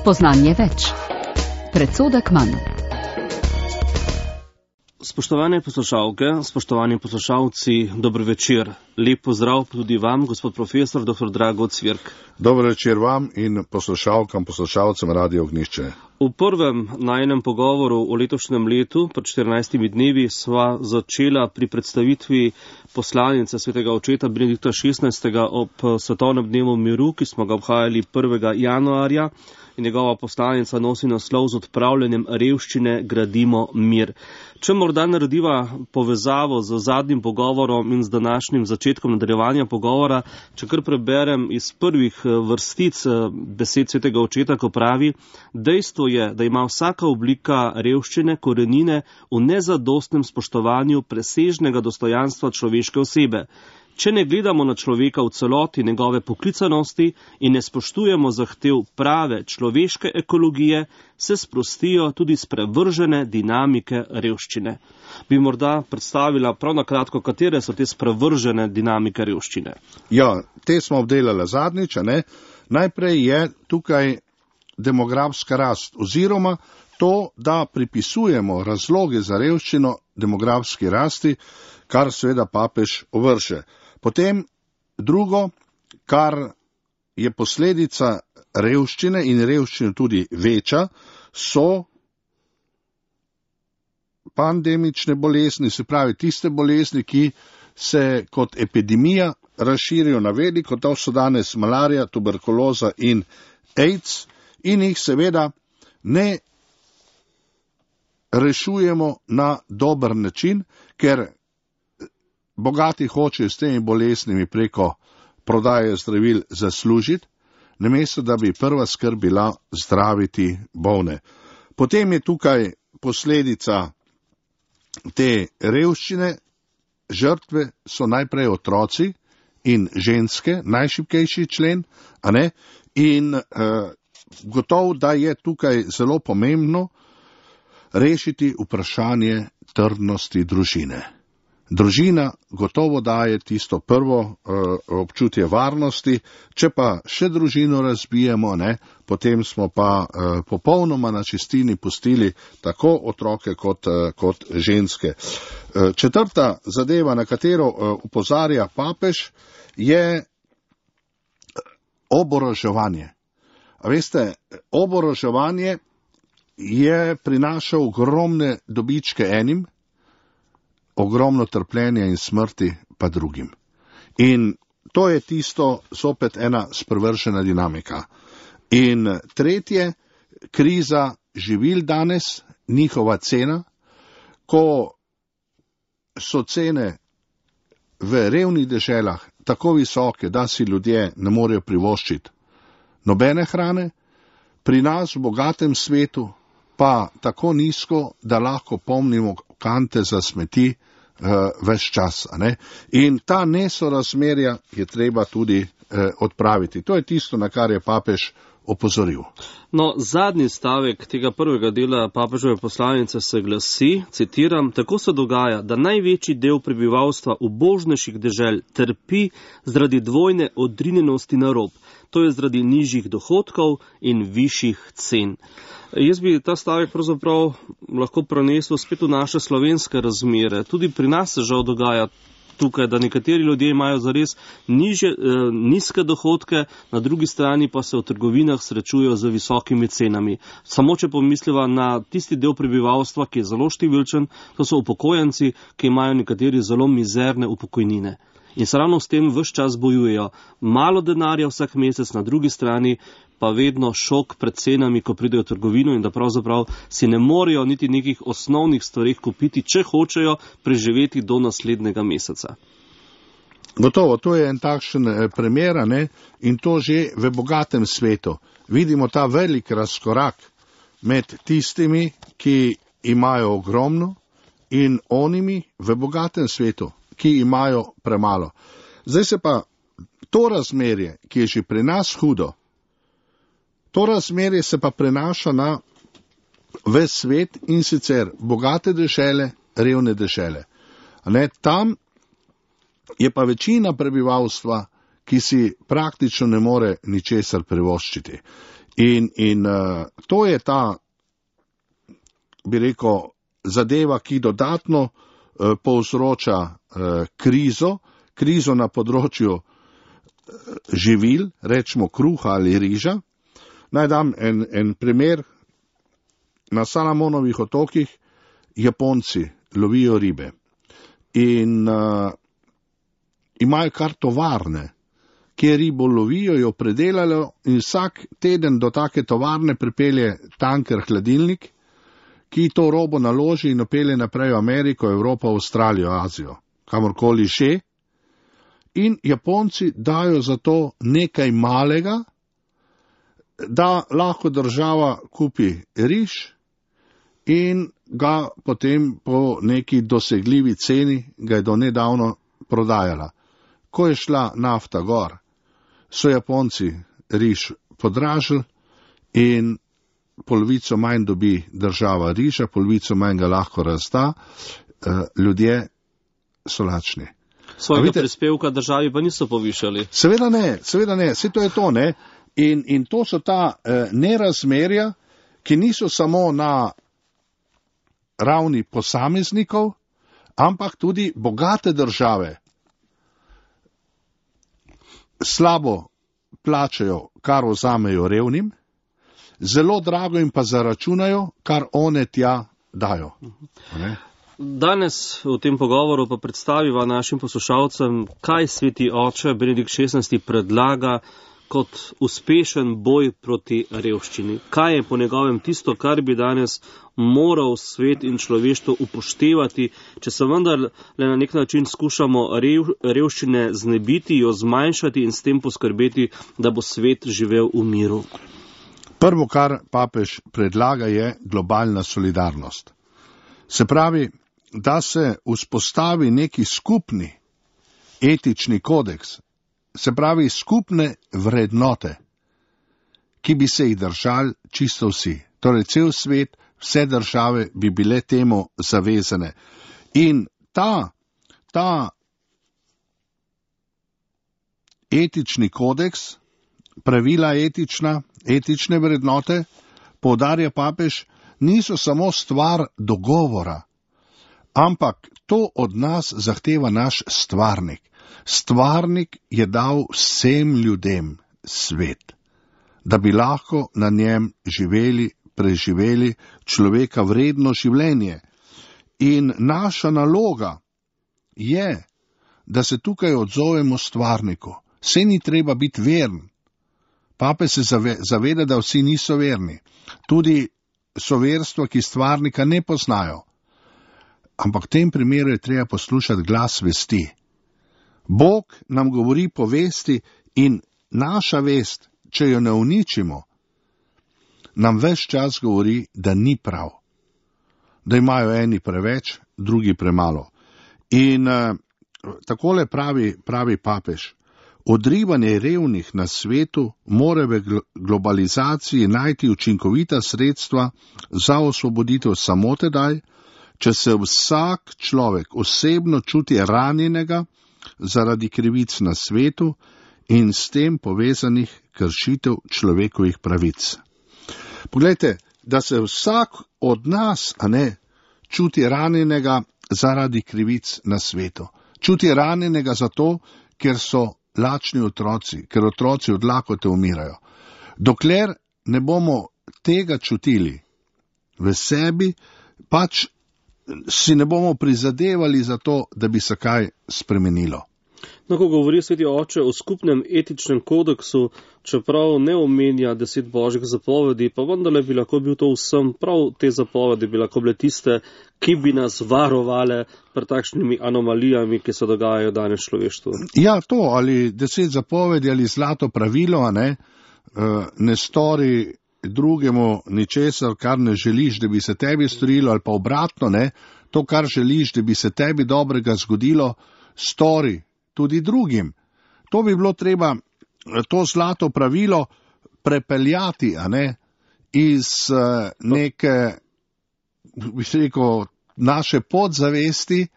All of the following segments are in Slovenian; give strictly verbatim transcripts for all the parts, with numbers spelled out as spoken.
Spoznanje več. Predsodek manj. Spoštovane poslušalke, spoštovani poslušalci, dober večer. Lep pozdrav tudi vam, gospod profesor, doktor Drago Cvirk. Dober večer vam in poslušalkam, poslušalcem Radio Ognjišče. V prvem najnem pogovoru o letošnjem letu, pred štirinajstimi dnevi, sva začela pri predstavitvi poslanice svetega očeta Benedikta šestnajstega ob svetovnem dnevu miru, ki smo ga obhajali prvega januarja. In njegova poslanica nosi naslov Z odpravljanjem revščine gradimo mir. Če morda narediva povezavo z zadnjim pogovorom in z današnjim začetkom nadaljevanja pogovora, če kar preberem iz prvih vrstic besed svetega očeta, ko pravi: dejstvo je, da ima vsaka oblika revščine korenine v nezadostnem spoštovanju presežnega dostojanstva človeške osebe. Če ne gledamo na človeka v celoti njegove poklicanosti in ne spoštujemo zahtev prave človeške ekologije, se sprostijo tudi sprevržene dinamike revščine. Bi morda predstavila prav na kratko, katere so te sprevržene dinamike revščine? Ja, te smo obdelali zadnjič, ne? Najprej je tukaj demografska rast, oziroma to, da pripisujemo razloge za revščino demografski rasti, kar seveda papež ovrše. Potem drugo, kar je posledica revščine in revščine tudi veča, so pandemične bolezni, se pravi tiste bolezni, ki se kot epidemija razširijo na veliko, to so danes malarija, tuberkuloza in AIDS, in jih seveda ne rešujemo na dober način, ker bogati hočejo s temi boleznimi preko prodaje zdravil zaslužiti, namesto da bi prva skrb bila zdraviti bolne. Potem je tukaj posledica te revščine, žrtve so najprej otroci in ženske, najšibkejši člen, a ne? In eh, gotovo, da je tukaj zelo pomembno rešiti vprašanje trdnosti družine. Družina gotovo daje tisto prvo uh, občutje varnosti, če pa še družino razbijemo, ne, potem smo pa uh, popolnoma na čistini pustili tako otroke kot, uh, kot ženske. Uh, četrta zadeva, na katero uh, upozarja papež, je oboroževanje. A veste, oboroževanje je prinašal ogromne dobičke enim, ogromno trpljenja in smrti pa drugim. In to je tisto, zopet ena sprevržena dinamika. In tretje, kriza živil danes, njihova cena, ko so cene v revnih deželah tako visoke, da si ljudje ne morejo privoščiti nobene hrane, pri nas v bogatem svetu pa tako nizko, da lahko pomnimo kante za smeti uh, ves čas. Ne? In ta nesorazmerja je treba tudi uh, odpraviti. To je tisto, na kar je papež opozoril. No, zadnji stavek tega prvega dela papežove poslanice se glasi, citiram: tako se dogaja, da največji del prebivalstva ubožnejših dežel trpi zaradi dvojne odrinjenosti na rob. To je zaradi nižjih dohodkov in višjih cen. Jaz bi ta stavek pravzaprav lahko prenesel spet v naše slovenske razmere. Tudi pri nas se žal dogaja tukaj, da nekateri ljudje imajo zares niže, eh, nizke dohodke, na drugi strani pa se v trgovinah srečujejo z visokimi cenami. Samo če pomisliva na tisti del prebivalstva, ki je zelo številčen, to so upokojenci, ki imajo nekateri zelo mizerne upokojnine. In se ravno s tem ves čas bojujejo. Malo denarja vsak mesec, na drugi strani pa vedno šok pred cenami, ko pridejo v trgovino, in da pravzaprav si ne morejo niti nekih osnovnih stvarih kupiti, če hočejo preživeti do naslednjega meseca. Gotovo, to je en takšen primer, ne? In to že v bogatem svetu. Vidimo ta velik razkorak med tistimi, ki imajo ogromno, in onimi v bogatem svetu, ki imajo premalo. Zdaj se pa to razmerje, ki je že pri nas hudo, to razmerje se pa prenaša na ves svet, in sicer bogate dežele, revne dežele. Ne, tam je pa večina prebivalstva, ki si praktično ne more ničesar privoščiti. In, in uh, to je ta, bi rekel, zadeva, ki dodatno uh, povzroča uh, krizo, krizo na področju uh, živil, rečemo kruha ali riža. Naj dam en, en primer. Na Salamonovih otokih Japonci lovijo ribe in uh, imajo kar tovarne, kjer ribo lovijo, jo predelajo in vsak teden do take tovarne pripelje tanker hladilnik, ki to robo naloži in opelje naprej v Ameriko, Evropo, Avstralijo, Azijo, kamorkoli še. In Japonci dajo za to nekaj malega, da lahko država kupi riž in ga potem po neki dosegljivi ceni, ga je do nedavno prodajala. Ko je šla nafta gor, so Japonci riž podražili in polovico manj dobi država riža, polovico manj ga lahko razda, ljudje so lačni. Svojega prispevka državi pa niso povišali. Seveda ne, seveda ne, vse to je to, ne. In, in to so ta eh, nerazmerja, ki niso samo na ravni posameznikov, ampak tudi bogate države slabo plačajo, kar vzamejo revnim, zelo drago jim pa zaračunajo, kar one tja dajo. Ne? Danes v tem pogovoru pa predstaviva našim poslušalcem, kaj sveti oče Benedikt šestnajsti predlaga kot uspešen boj proti revščini. Kaj je po njegovem tisto, kar bi danes moral svet in človeštvo upoštevati, če se vendar le na nek način skušamo rev, revščine znebiti, jo zmanjšati in s tem poskrbeti, da bo svet živel v miru? Prvo, kar papež predlaga, je globalna solidarnost. Se pravi, da se vzpostavi neki skupni etični kodeks, se pravi skupne vrednote, ki bi se jih držali čisto vsi. Torej, cel svet, vse države bi bile temu zavezane. In ta, ta etični kodeks, pravila etična, etične vrednote, poudarja papež, niso samo stvar dogovora, ampak to od nas zahteva naš stvarnik. Stvarnik je dal vsem ljudem svet, da bi lahko na njem živeli, preživeli človeka vredno življenje. In naša naloga je, da se tukaj odzovemo stvarniku. Saj ni treba biti veren. Pape se zaveda, da vsi niso verni. Tudi so verstva, ki stvarnika ne poznajo. Ampak v tem primeru je treba poslušati glas vesti. Bog nam govori po vesti in naša vest, če jo ne uničimo, nam ves čas govori, da ni prav. Da imajo eni preveč, drugi premalo. In uh, takole pravi, pravi papež. Odrivanje revnih na svetu mora v globalizaciji najti učinkovita sredstva za osvoboditev samo tedaj, če se vsak človek osebno čuti ranjenega zaradi krivic na svetu in s tem povezanih kršitev človekovih pravic. Poglejte, da se vsak od nas, a ne, čuti ranjenega zaradi krivic na svetu. Čuti ranjenega zato, ker so lačni otroci, ker otroci od lakote umirajo. Dokler ne bomo tega čutili v sebi, pač si ne bomo prizadevali za to, da bi se kaj spremenilo. No, ko govori sveti oče o skupnem etičnem kodeksu, čeprav ne omenja deset božjih zapovedi, pa vendarle bi lahko bil to vsem, prav te zapovedi bi lahko bile tiste, ki bi nas varovale pred takšnimi anomalijami, ki se dogajajo danes človeštvu. Ja, to, ali deset zapovedi, ali zlato pravilo, a ne, ne stori drugemu ničesar, kar ne želiš, da bi se tebi storilo, ali pa obratno, ne, to, kar želiš, da bi se tebi dobrega zgodilo, stori tudi drugim. To bi bilo treba, to zlato pravilo prepeljati, a ne, iz uh, neke, bi se rekel, naše podzavesti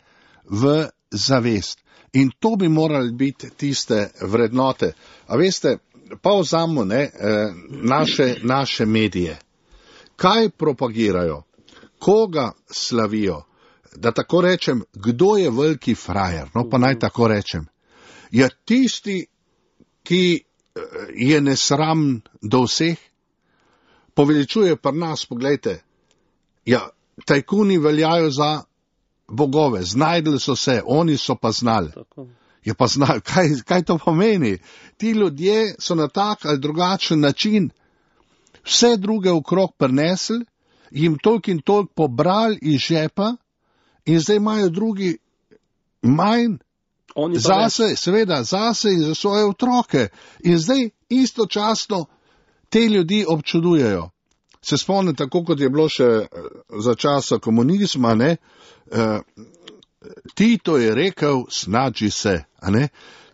v zavest. In to bi morali biti tiste vrednote. A veste, pa vzamo ne, naše, naše medije. Kaj propagirajo? Koga slavijo? Da tako rečem, kdo je veliki frajer? No, pa naj tako rečem. Je tisti, ki je nesram do vseh, poveličuje pri nas, poglejte, ja, tajkuni veljajo za bogove, znajdli so se, oni so pa znali. Je pa znali, kaj, kaj to pomeni? Ti ljudje so na tak ali drugačen način vse druge okrog prinesli, jim toliko in toliko pobrali iz žepa in zdaj imajo drugi manj zase, seveda zase in za svoje otroke. In zdaj istočasno te ljudi občudujejo. Se spomnim, tako kot je bilo še za časa komunizma, ne, uh, Tito je rekel, snađi se, a ne?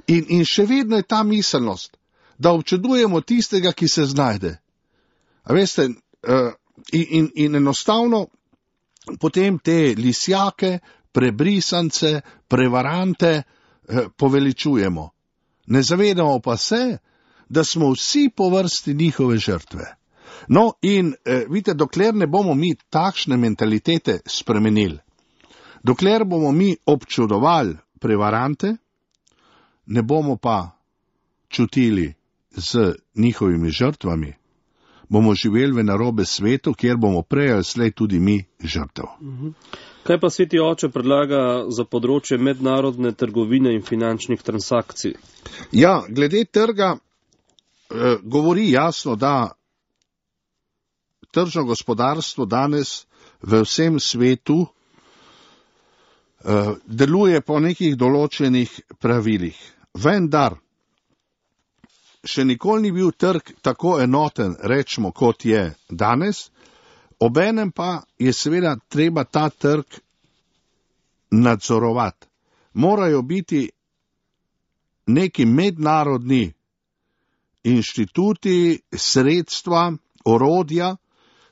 In, in še vedno je ta miselnost, da občudujemo tistega, ki se znajde. A veste, uh, in, in, in enostavno potem te lisjake, prebrisance, prevarante uh, poveličujemo. Ne zavedamo pa se, da smo vsi po vrsti njihove žrtve. No in eh, vidite, dokler ne bomo mi takšne mentalitete spremenili, dokler bomo mi občudovali prevarante, ne bomo pa čutili z njihovimi žrtvami, bomo živeli v narobe svetu, kjer bomo prej ali slej tudi mi žrtev. Kaj pa Sveti oče predlaga za področje mednarodne trgovine in finančnih transakcij? Ja, glede trga eh, govori jasno, da tržno gospodarstvo danes v vsem svetu uh, deluje po nekih določenih pravilih. Vendar še nikoli ni bil trg tako enoten, rečemo, kot je danes, obenem pa je seveda treba ta trg nadzorovati. Morajo biti neki mednarodni inštituti, sredstva, orodja,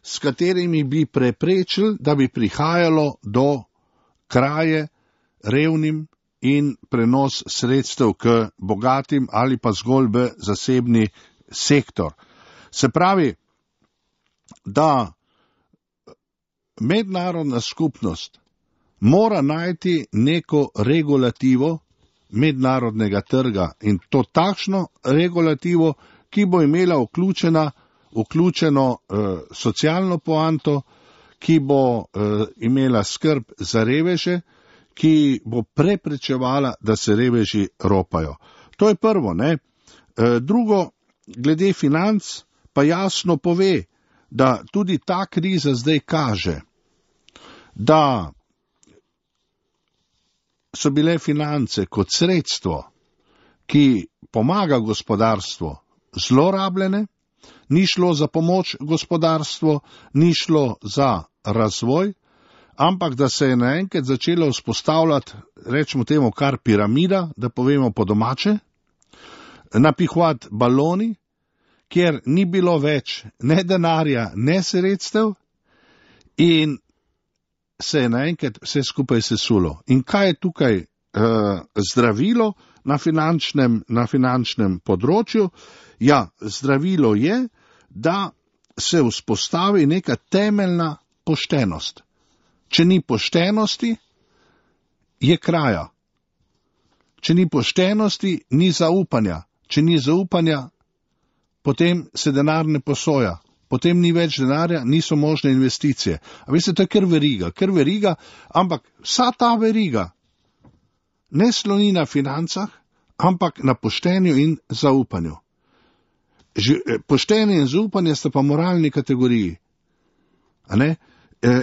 s katerimi bi preprečili, da bi prihajalo do kraje revnim in prenos sredstev k bogatim ali pa zgolj v zasebni sektor. Se pravi, da mednarodna skupnost mora najti neko regulativo mednarodnega trga in to takšno regulativo, ki bo imela vključena vključeno uh, socialno poanto, ki bo uh, imela skrb za reveže, ki bo preprečevala, da se reveži ropajo. To je prvo, ne. Uh, drugo, glede financ, pa jasno pove, da tudi ta kriza zdaj kaže, da so bile finance kot sredstvo, ki pomaga gospodarstvu, zlorabljene. Ni šlo za pomoč gospodarstvu, ni šlo za razvoj, ampak da se je naenkrat začelo vzpostavljati, rečemo temu kar piramida, da povemo po domače, napihovati baloni, kjer ni bilo več ne denarja, ne sredstev in se je naenkrat vse skupaj sesulo. In kaj je tukaj uh, zdravilo na finančnem, na finančnem področju? Ja, zdravilo je, da se vzpostavi neka temeljna poštenost. Če ni poštenosti, je kraja. Če ni poštenosti, ni zaupanja. Če ni zaupanja, potem se denar ne posoja. Potem ni več denarja, niso možne investicije. A veste, to je kar veriga, kar veriga, ampak vsa ta veriga ne sloni na financah, ampak na poštenju in zaupanju. Poštenje in zaupanje sta pa moralni kategoriji. A ne?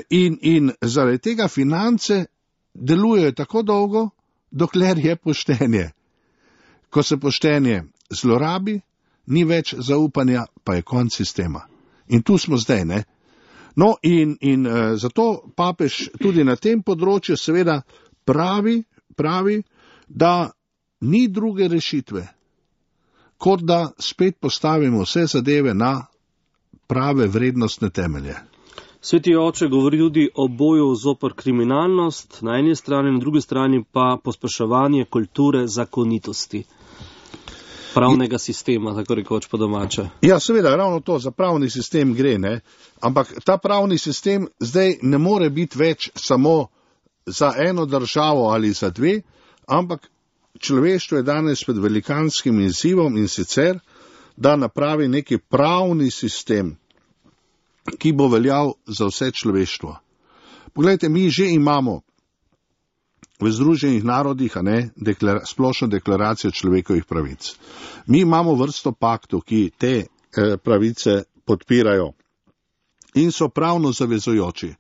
In, in zaradi tega finance delujejo tako dolgo, dokler je poštenje. Ko se poštenje zlorabi, ni več zaupanja, pa je konec sistema. In tu smo zdaj, ne? No in, in uh, zato papež tudi na tem področju seveda pravi, pravi, da ni druge rešitve, kot da spet postavimo vse zadeve na prave vrednostne temelje. Sveti oče govori tudi o boju zoper kriminalnost, na eni strani, na drugi strani pa pospeševanje kulture zakonitosti. pravnega sistema, tako rekoč po domače. Ja, seveda, ravno to, za pravni sistem gre, ne? Ampak ta pravni sistem zdaj ne more biti več samo za eno državo ali za dve, ampak človeštvo je danes pred velikanskim izzivom in sicer, da napravi neki pravni sistem, ki bo veljal za vse človeštvo. Poglejte, mi že imamo v Združenih narodih, a ne, deklara, splošno deklaracijo človekovih pravic. Mi imamo vrsto paktov, ki te eh, pravice podpirajo in so pravno zavezujoči.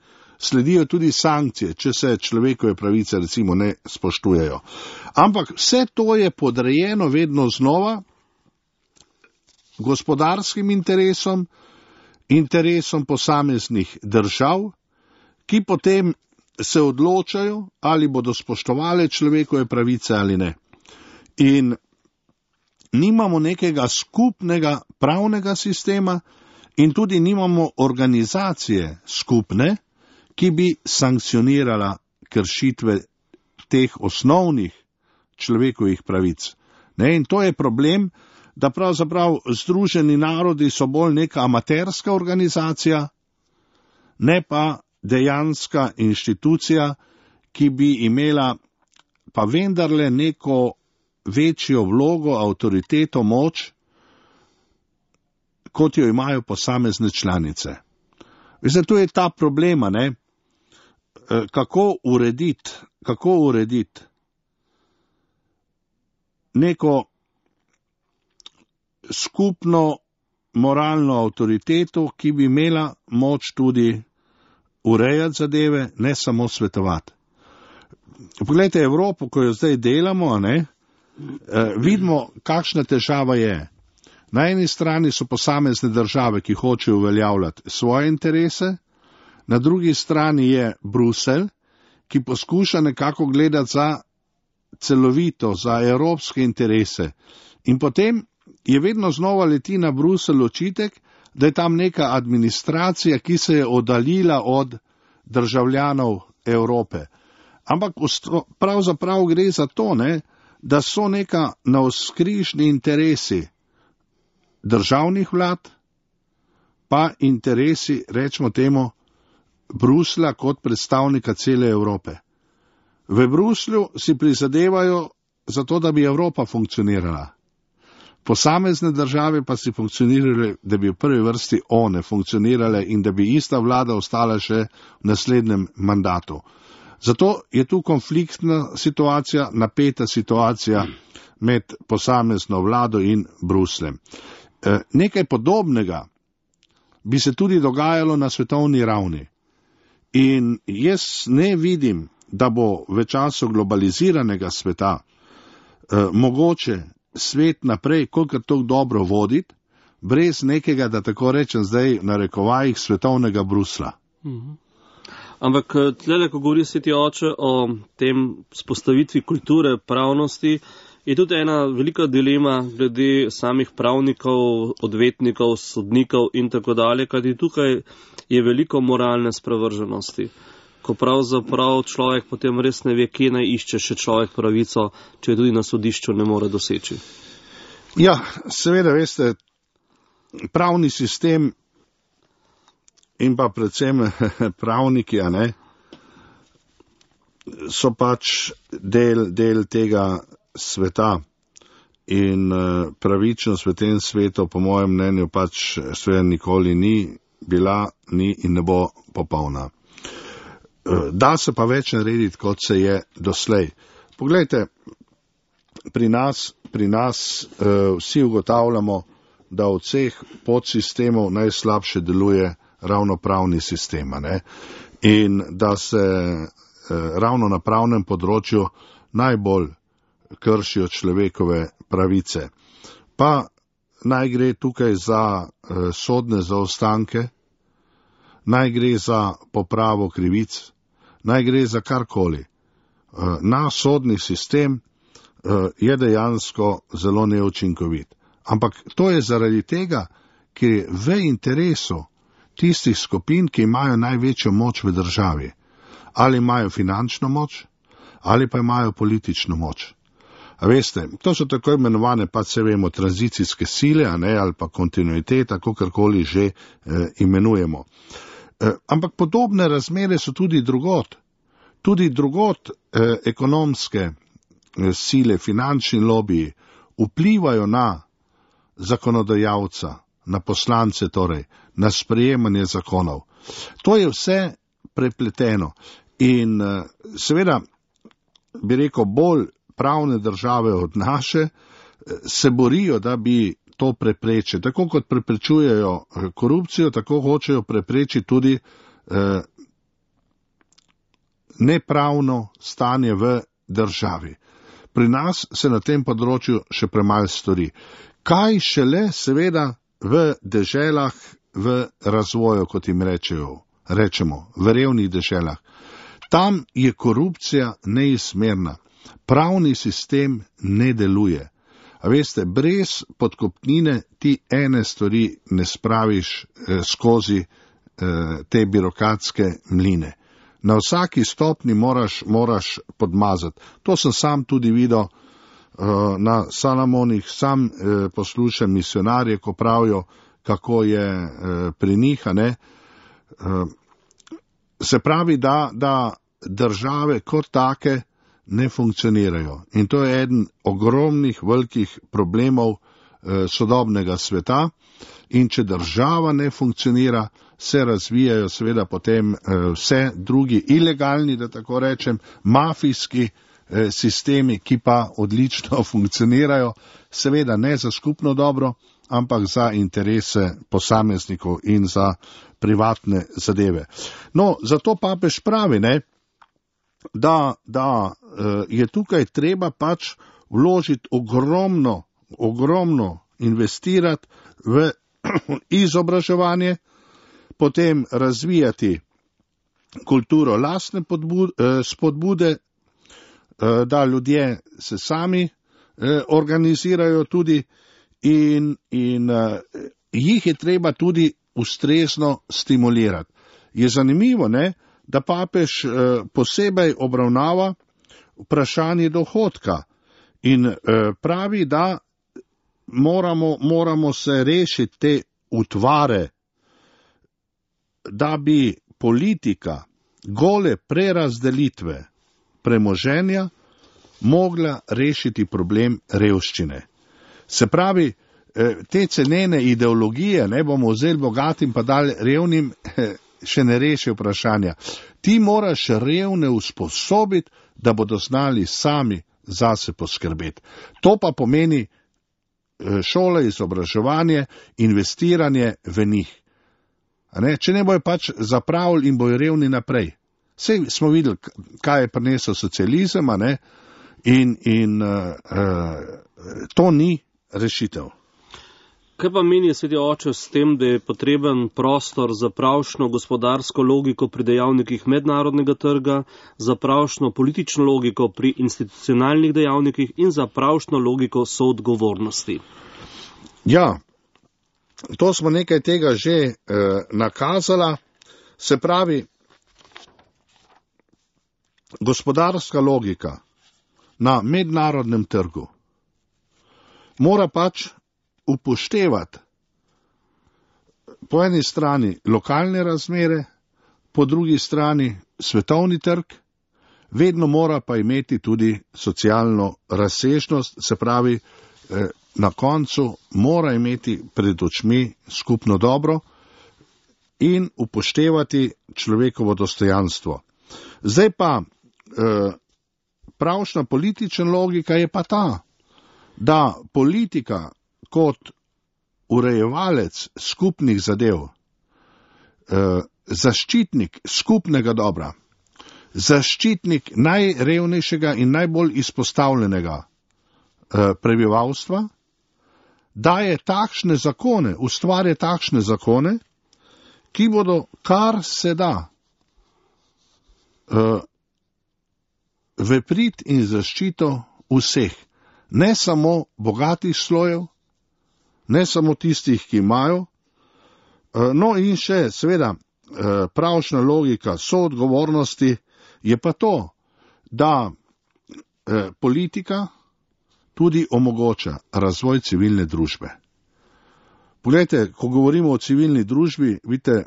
Sledijo tudi sankcije, če se človekove pravice recimo ne spoštujejo. Ampak vse to je podrejeno vedno znova gospodarskim interesom, interesom posameznih držav, ki potem se odločajo, ali bodo spoštovali človekove pravice ali ne. In nimamo nekega skupnega pravnega sistema in tudi nimamo organizacije skupne, ki bi sankcionirala kršitve teh osnovnih človekovih pravic. Ne? In to je problem, da pravzaprav Združeni narodi so bolj neka amaterska organizacija, ne pa dejanska inštitucija, ki bi imela pa vendarle neko večjo vlogo, avtoriteto, moč, kot jo imajo posamezne članice. Veste, tu je ta problema, ne? Kako urediti, kako urediti neko skupno moralno avtoriteto, ki bi imela moč tudi urejati zadeve, ne samo svetovati. Poglejte Evropo, ko jo zdaj delamo, ne, vidimo, kakšna težava je. Na eni strani so posamezne države, ki hočejo uveljavljati svoje interese, na drugi strani je Bruselj, ki poskuša nekako gledati za celovito, za evropske interese. In potem je vedno znova leti na Bruselj očitek, da je tam neka administracija, ki se je oddaljila od državljanov Evrope. Ampak pravzaprav gre za to, ne, da so neka navzkrižni interesi državnih vlad, pa interesi, rečemo temu, Bruslja kot predstavnika cele Evrope. V Bruslju si prizadevajo za to, da bi Evropa funkcionirala. Posamezne države pa si funkcionirale, da bi v prvi vrsti one funkcionirale in da bi ista vlada ostala še v naslednjem mandatu. Zato je tu konfliktna situacija, napeta situacija med posamezno vlado in Brusljem. E, nekaj podobnega bi se tudi dogajalo na svetovni ravni. In jaz ne vidim, da bo v času globaliziranega sveta e, mogoče svet naprej, kolikor to dobro voditi, brez nekega, da tako rečem zdaj, na rekovajih svetovnega Brusla. Mhm. Ampak tlele, ko govori sveti oče o tem spostavitvi kulture pravnosti, je tudi ena velika dilema glede samih pravnikov, odvetnikov, sodnikov in tako dalje, kajti tukaj je veliko moralne sprevrženosti, ko pravzaprav človek potem res ne ve, kje naj išče še človek pravico, če tudi na sodišču ne more doseči. Ja, seveda, veste, pravni sistem in pa predvsem pravniki, a ne, so pač del, del tega sveta in pravičnost v tem svetu, po mojem mnenju, pač sve nikoli ni bila, ni in ne bo popolna. Da se pa več narediti, kot se je doslej. Poglejte, pri nas, pri nas uh, vsi ugotavljamo, da od vseh podsistemov najslabše deluje ravno pravni sistem, ne? In da se uh, ravno na pravnem področju najbolj kršijo človekove pravice. Pa naj gre tukaj za uh, sodne zaostanke, naj gre za popravo krivic, naj gre za karkoli. Naš sodni sistem je dejansko zelo neučinkovit. Ampak to je zaradi tega, ker je v interesu tistih skupin, ki imajo največjo moč v državi. Ali imajo finančno moč, ali pa imajo politično moč. A veste, to so tako imenovane, pa se vemo, tranzicijske sile, a ne, ali pa kontinuiteta, kakorkoli že eh, imenujemo. Eh, ampak podobne razmere so tudi drugot. Tudi drugot eh, ekonomske eh, sile, finančni lobiji vplivajo na zakonodajalca, na poslance torej, na sprejemanje zakonov. To je vse prepleteno in eh, seveda, bi rekel, bolj pravne države od naše eh, se borijo, da bi to preprečili. Tako kot preprečujejo korupcijo, tako hočejo preprečiti tudi eh, nepravno stanje v državi. Pri nas se na tem področju še premalo stori. Kaj šele seveda v deželah v razvoju, kot jim rečejo, rečemo, v revnih deželah. Tam je korupcija neizmerna. Pravni sistem ne deluje. A veste, brez podkupnine ti ene stvari ne spraviš eh, skozi eh, te birokratske mline. Na vsaki stopni moraš, moraš podmazati. To sem sam tudi videl uh, na Salamonih, sam uh, poslušam misionarje, ko pravijo, kako je uh, pri njih, ne. Uh, se pravi, da, da države kot take ne funkcionirajo. In to je eden ogromnih, velikih problemov uh, sodobnega sveta. In če država ne funkcionira, se razvijajo seveda potem vse drugi ilegalni, da tako rečem, mafijski sistemi, ki pa odlično funkcionirajo, seveda ne za skupno dobro, ampak za interese posameznikov in za privatne zadeve. No, zato papež pravi, ne, da, da je tukaj treba pač vložiti ogromno, ogromno investirati v izobraževanje, potem razvijati kulturo lastne spodbude, da ljudje se sami organizirajo tudi in, in jih je treba tudi ustrezno stimulirati. Je zanimivo, ne, da papež posebej obravnava vprašanje dohodka in pravi, da moramo, moramo se rešiti te utvare, da bi politika gole prerazdelitve premoženja mogla rešiti problem revščine. Se pravi, te cenene ideologije, ne bomo vzeli bogatim pa dali revnim, še ne reši vprašanja. Ti moraš revne usposobiti, da bodo znali sami zase poskrbeti. To pa pomeni šole, izobraževanje, investiranje v njih. Ne? Če ne bojo pač zapravili in bojo revni naprej. Sej smo videli, kaj je prinesel socializem, a ne? In, in uh, uh, to ni rešitev. Kaj pa meni sveti oče s tem, da je potreben prostor za pravšno gospodarsko logiko pri dejavnikih mednarodnega trga, za pravšno politično logiko pri institucionalnih dejavnikih in za pravšno logiko soodgovornosti? Ja, to smo nekaj tega že eh, nakazala. Se pravi, gospodarska logika na mednarodnem trgu mora pač upoštevati po eni strani lokalne razmere, po drugi strani svetovni trg, vedno mora pa imeti tudi socialno razsežnost, se pravi, eh, na koncu mora imeti pred očmi skupno dobro in upoštevati človekovo dostojanstvo. Zdaj pa eh, pravšna politična logika je pa ta, da politika kot urejevalec skupnih zadev, eh, zaščitnik skupnega dobra, zaščitnik najrevnejšega in najbolj izpostavljenega eh, prebivalstva, daje takšne zakone, ustvarja takšne zakone, ki bodo kar se da eh, v prid in zaščito vseh, ne samo bogatih slojev, ne samo tistih, ki imajo, no in še seveda pravšna logika soodgovornosti je pa to, da politika tudi omogoča razvoj civilne družbe. Poglejte, ko govorimo o civilni družbi, vidite,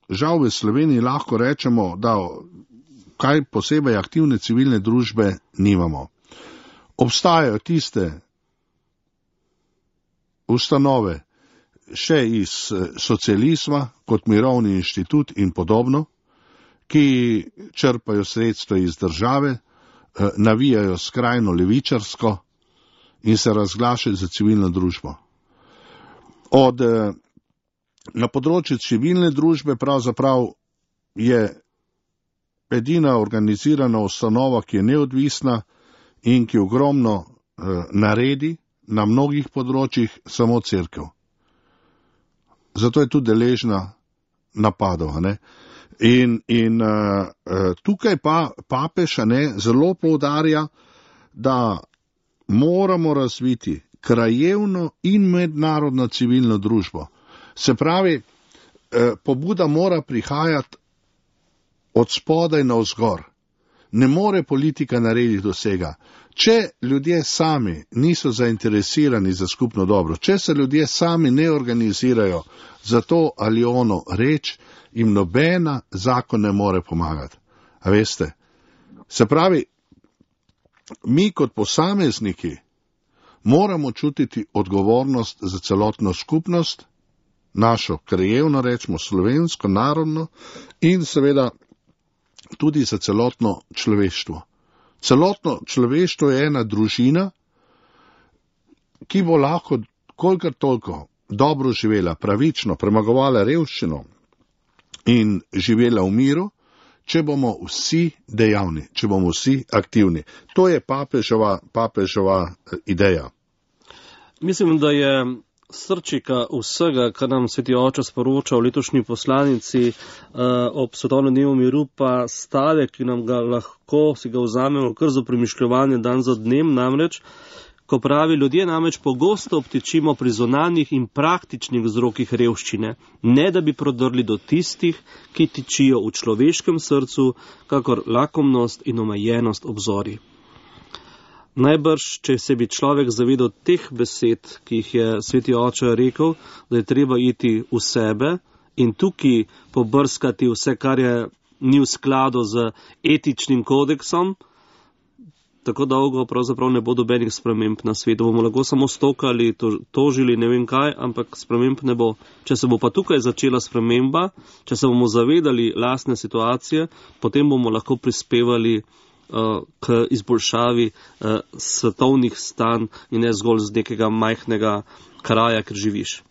žal v Sloveniji lahko rečemo, da kaj posebej aktivne civilne družbe nimamo. Obstajajo tiste ustanove še iz socializma, kot Mirovni inštitut in podobno, ki črpajo sredstva iz države, navijajo skrajno levičarsko in se razglašajo za civilno družbo. Od, na področju civilne družbe pravzaprav je edina organizirana ustanova, ki je neodvisna in ki ogromno eh, naredi na mnogih področjih, samo cerkev. Zato je tudi deležna napadov. Ne? In, in uh, tukaj pa papež ne, zelo poudarja, da moramo razviti krajevno in mednarodno civilno družbo. Se pravi, eh, pobuda mora prihajati od spodaj navzgor. Ne more politika narediti vsega. Če ljudje sami niso zainteresirani za skupno dobro, če se ljudje sami ne organizirajo za to ali ono reč, jim nobena zakon ne more pomagati. A veste? Se pravi, mi kot posamezniki moramo čutiti odgovornost za celotno skupnost, našo krajevno, rečemo slovensko, narodno in seveda tudi za celotno človeštvo. Celotno človeštvo je ena družina, ki bo lahko kolikor toliko dobro živela, pravično, premagovala revščino in živela v miru, če bomo vsi dejavni, če bomo vsi aktivni. To je papežova, papežova ideja. Mislim, da je srčika vsega, kar nam Sveti Oče sporoča v letošnji poslanici uh, ob svetovnem dnevu miru, pa stavek, ki nam ga lahko si ga vzamemo kar za premišljevanje dan za dnem, namreč, ko pravi, ljudje namreč pogosto obtičimo pri zunanjih in praktičnih vzrokih revščine, ne da bi prodrli do tistih, ki tičijo v človeškem srcu, kakor lakomnost in omejenost obzorij. Najbrž, če se bi človek zavedal teh besed, ki jih je Sveti Oče rekel, da je treba iti v sebe in tukaj pobrskati vse, kar je ni v skladu z etičnim kodeksom, tako dolgo pravzaprav ne bo dobenih sprememb na svetu. Bomo lahko samo stokali, tožili, ne vem kaj, ampak sprememb ne bo. Če se bo pa tukaj začela sprememba, če se bomo zavedali lastne situacije, potem bomo lahko prispevali k izboljšavi uh, svetovnih stanj in ne zgolj z nekega majhnega kraja, kjer živiš.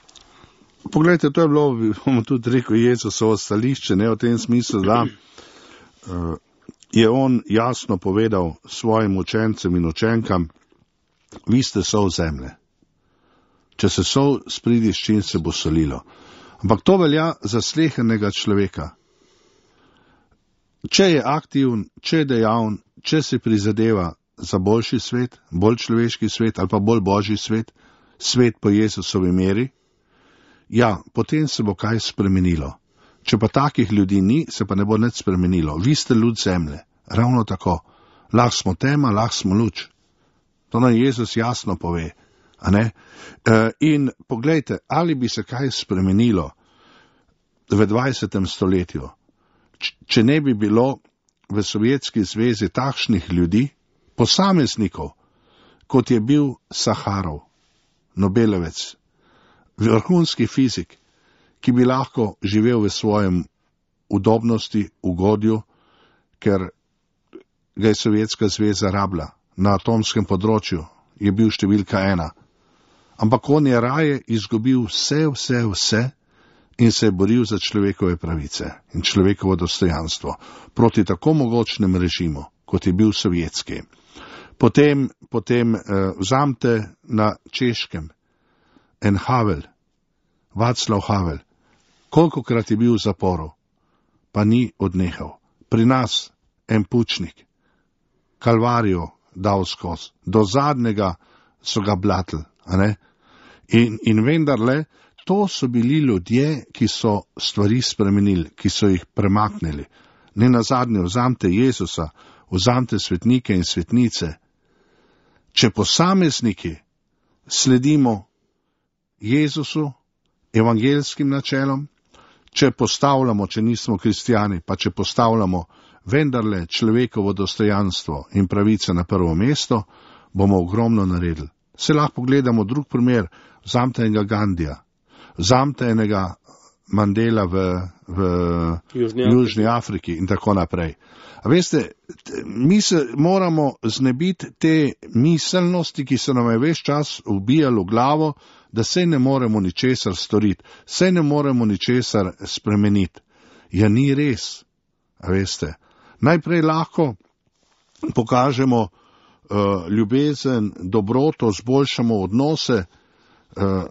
Poglejte, to je bilo, bomo tudi rekel, Jezusovo stališče, ne v tem smislu, da uh, je on jasno povedal svojim učencem in učenkam, vi ste sol zemlje. Če se sol spridi, s čim se bo solilo. Ampak to velja za slehernega človeka. Če je aktivn, če je dejavn, če se prizadeva za boljši svet, bolj človeški svet ali pa bolj božji svet, svet po Jezusovi meri, ja, potem se bo kaj spremenilo. Če pa takih ljudi ni, se pa ne bo nič spremenilo. Vi ste ljud zemlje, ravno tako. Lahko smo tema, lahko smo luč. To nam Jezus jasno pove. A ne? E, in poglejte, ali bi se kaj spremenilo v dvajsetem stoletju, če ne bi bilo v Sovjetski zvezi takšnih ljudi, posameznikov, kot je bil Saharov, Nobelovec, vrhunski fizik, ki bi lahko živel v svojem udobnosti, ugodju, ker ga je Sovjetska zveza rabila na atomskem področju, je bil številka ena. Ampak on je raje izgubil vse, vse, vse, in se je boril za človekove pravice in človekovo dostojanstvo proti tako mogočnem režimu, kot je bil sovjetski. Potem, potem eh, vzamte na Češkem en Havel, Václav Havel, kolikokrat je bil v zaporu, pa ni odnehal. Pri nas en Pučnik, Kalvarijo dal skozi, do zadnjega so ga blatili, a ne? In, in vendarle, to so bili ljudje, ki so stvari spremenili, ki so jih premaknili. Ne nazadnje, vzamte Jezusa, vzamte svetnike in svetnice. če posamezniki sledimo Jezusu, evangelskim načelom, če postavljamo, če nismo kristijani, pa če postavljamo vendarle človekovo dostojanstvo in pravice na prvo mesto, bomo ogromno naredili. Se lahko pogledamo drug primer, vzamte enega Gandija, vzamte enega Mandela v, v Južni, Južni Afriki in tako naprej. A veste, mi se moramo znebiti te miselnosti, ki se nam je ves čas ubijalo v glavo, da se ne moremo ničesar storiti, se ne moremo ničesar spremeniti. Ja, ni res. A veste, najprej lahko pokažemo uh, ljubezen, dobroto, zboljšamo odnose uh,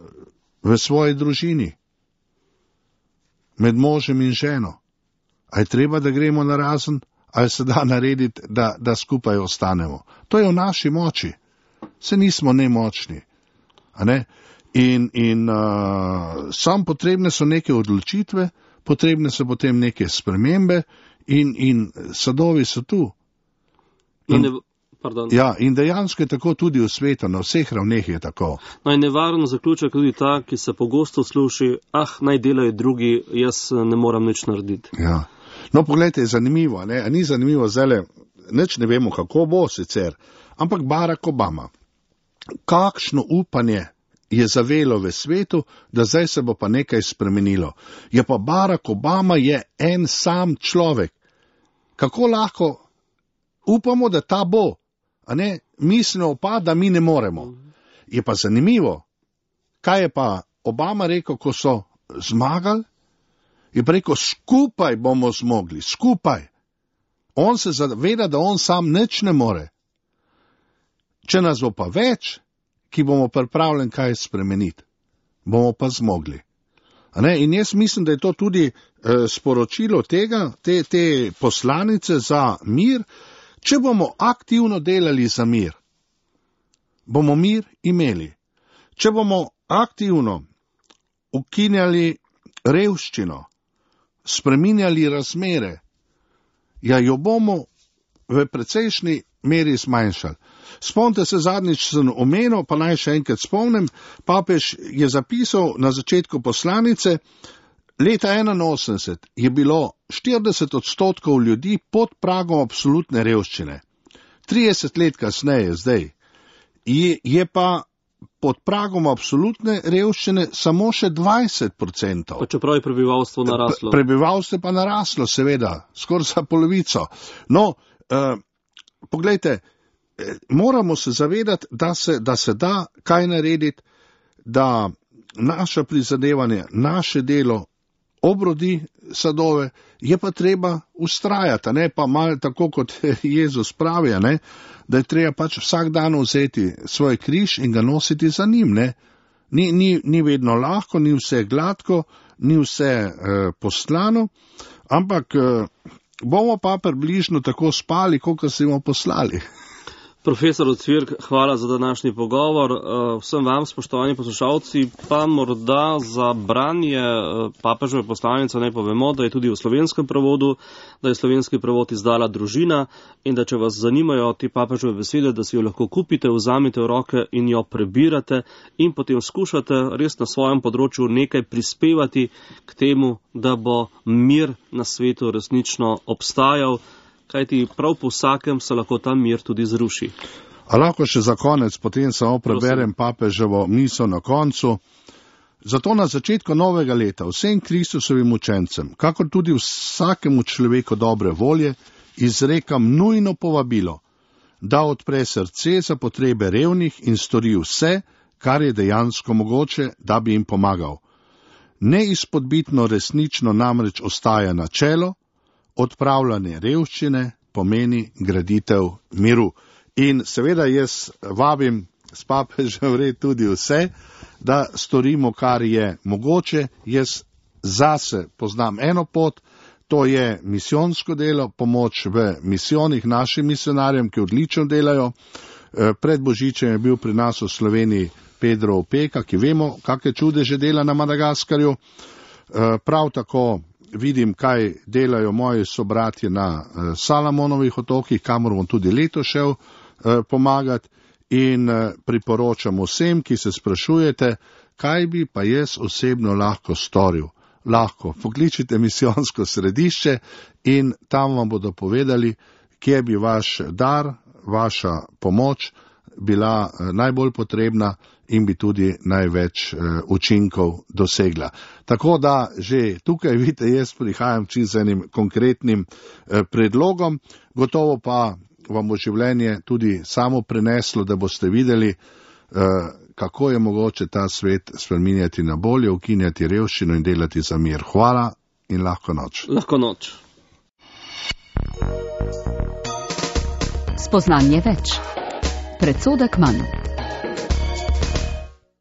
v svoji družini, med možem in ženo. A je treba, da gremo na razen, ali se da narediti, da, da skupaj ostanemo. To je v naši moči. Se nismo nemočni. A ne? In, in uh, sam potrebne so neke odločitve, potrebne so potem neke spremembe in, in sadovi so tu. In, ja, in dejansko je tako tudi v svetu, na vseh ravneh je tako. No in nevaren zaključek tudi ta, ki se pogosto sluši, ah, naj delajo drugi, jaz ne moram nič narediti. Ja. No, pogledajte, je zanimivo, ne? A ni zanimivo zdaj, nič ne vemo, kako bo sicer, ampak Barack Obama, kakšno upanje je zavelo v svetu, da zdaj se bo pa nekaj spremenilo. Ja, pa Barack Obama je en sam človek. Kako lahko upamo, da ta bo, a ne, mislimo pa, da mi ne moremo. Je pa zanimivo, kaj je pa Obama rekel, ko so zmagali? Je pa rekel, skupaj bomo zmogli, skupaj. On se zaveda, da on sam nič ne more. Če nas bo pa več, ki bomo pripravljeni kaj spremeniti, bomo pa zmogli. A ne? In jaz mislim, da je to tudi eh, sporočilo tega, te, te poslanice za mir. Če bomo aktivno delali za mir, bomo mir imeli. Če bomo aktivno ukinjali revščino, spreminjali razmere, ja, jo bomo v precejšnji meri zmanjšali. Spomnite se, zadnjič sem omenil, pa naj še enkrat spomnim, papež je zapisal na začetku poslanice, leta enainosemdeset je bilo štirideset odstotkov ljudi pod pragom absolutne revščine. trideset let kasneje, zdaj, je, je pa pod pragom absolutne revščine samo še dvajset odstotkov. Pa čeprav je prebivalstvo naraslo. Prebivalstvo pa naraslo, seveda, skoraj za polovico. No, eh, poglejte, eh, moramo se zavedati, da se, da se da kaj narediti, da naša prizadevanje, naše delo obrodi sadove, je pa treba ustrajati, ne pa malo tako, kot Jezus pravi, ne, da je treba pač vsak dan vzeti svoj križ in ga nositi za njim. Ne. Ni, ni, ni vedno lahko, ni vse gladko, ni vse eh, poslano, ampak eh, bomo pa približno tako spali, kot si bomo poslali. Profesor Ocvirk, hvala za današnji pogovor. Vsem vam, spoštovani poslušalci, pa morda za branje papeževe poslanice naj povemo, da je tudi v slovenskem prevodu, da je slovenski prevod izdala Družina in da če vas zanimajo te papeževe besede, da si jo lahko kupite, vzamete v roke in jo prebirate in potem skušate res na svojem področju nekaj prispevati k temu, da bo mir na svetu resnično obstajal. Kajti prav po vsakem se lahko ta mir tudi zruši. A lahko še za konec, potem samo preberem papeževo misel na koncu. Zato na začetku novega leta vsem Kristusovim učencem, kakor tudi vsakemu človeku dobre volje, izrekam nujno povabilo, da odpre srce za potrebe revnih in stori vse, kar je dejansko mogoče, da bi jim pomagal. Neizpodbitno resnično namreč ostaja načelo, odpravljanje revščine pomeni graditev miru. In seveda jaz vabim s papežem red tudi vse, da storimo, kar je mogoče. Jaz zase poznam eno pot, to je misijonsko delo, pomoč v misijonih našim misionarjem, ki odlično delajo. Pred Božičem je bil pri nas v Sloveniji Pedro Opeka, ki vemo, kakšne čudeže dela na Madagaskarju. Prav tako vidim, kaj delajo moji sobratje na Salamonovih otokih, kamor bom tudi leto šel pomagati. in priporočam vsem, ki se sprašujete, kaj bi pa jaz osebno lahko storil. Lahko pokličite misijonsko središče in tam vam bodo povedali, kje bi vaš dar, vaša pomoč bila najbolj potrebna in bi tudi največ učinkov dosegla. Tako da že tukaj vidite, jaz prihajam čisto z enim konkretnim predlogom, gotovo pa vam bo življenje tudi samo preneslo, da boste videli, kako je mogoče ta svet spreminjati na bolje, ukinjati revščino in delati za mir. Hvala in lahko noč. Lahko noč. Spoznanje več. Predsodek manj.